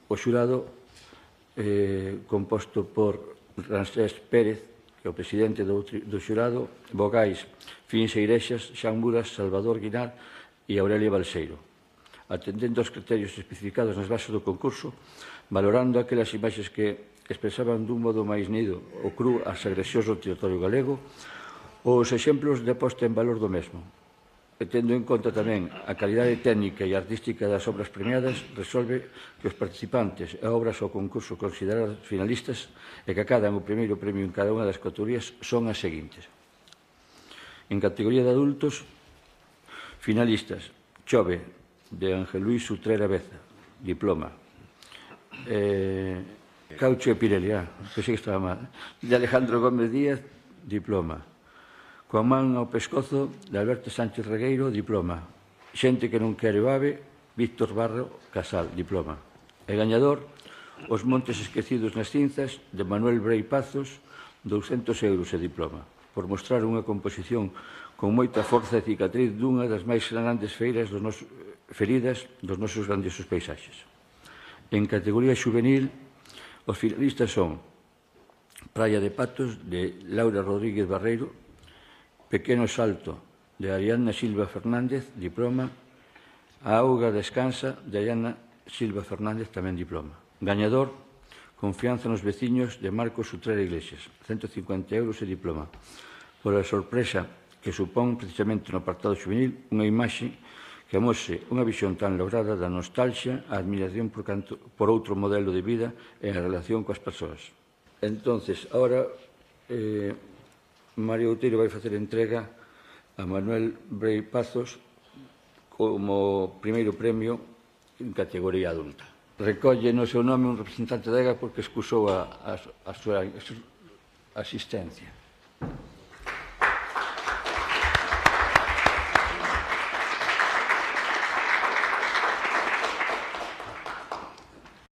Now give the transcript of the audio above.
o xurado composto por Ramsés Pérez, que é o presidente do xurado, vogais Fins Eirexas, Xan Muras, Salvador Guinar e Aurelia Balseiro, atendendo aos criterios especificados nas bases do concurso, valorando aquelas imaxes que expresaban dun modo máis nido ou cru as agresións do territorio galego ou os exemplos de posta en valor do mesmo. E tendo en conta tamén a calidade técnica e artística das obras premiadas, resolve que os participantes e obras ao concurso consideradas finalistas e que acadan o primeiro premio en cada unha das categorías son as seguintes. En categoría de adultos, finalistas: Chove, de Ángel Luis Utrera Beza, diploma. Caucho e Pirelli, pensei que estaba mal. De Alejandro Gómez Díaz, diploma. Coa man ao pescozo, de Alberto Sánchez Regueiro, diploma. Xente que non quere o ave, Víctor Barro Casal, diploma. E gañador, Os montes esquecidos nas cinzas, de Manuel Brei Pazos, 200 euros e diploma, por mostrar unha composición con moita forza e cicatriz dunha das máis grandes feridas dos nosos grandiosos paisaxes. En categoría xuvenil, os finalistas son Praia de Patos, de Laura Rodríguez Barreiro, Pequeno Salto, de Ariadna Silva Fernández, diploma. A auga descansa, de Ariadna Silva Fernández, tamén diploma. Gañador, Confianza nos veciños, de Marcos Utrera Iglesias, 150 euros e diploma. Por a sorpresa que supón precisamente no apartado xuvenil unha imaxe que amose unha visión tan lograda da nostalgia, a admiración por outro modelo de vida e a relación coas persoas. Entonces, ahora, Mario Outeiro vai facer entrega a Manuel Brei Pazos como primeiro premio en categoría adulta. Recolle no seu nome un representante da EGA porque excusou a súa asistencia.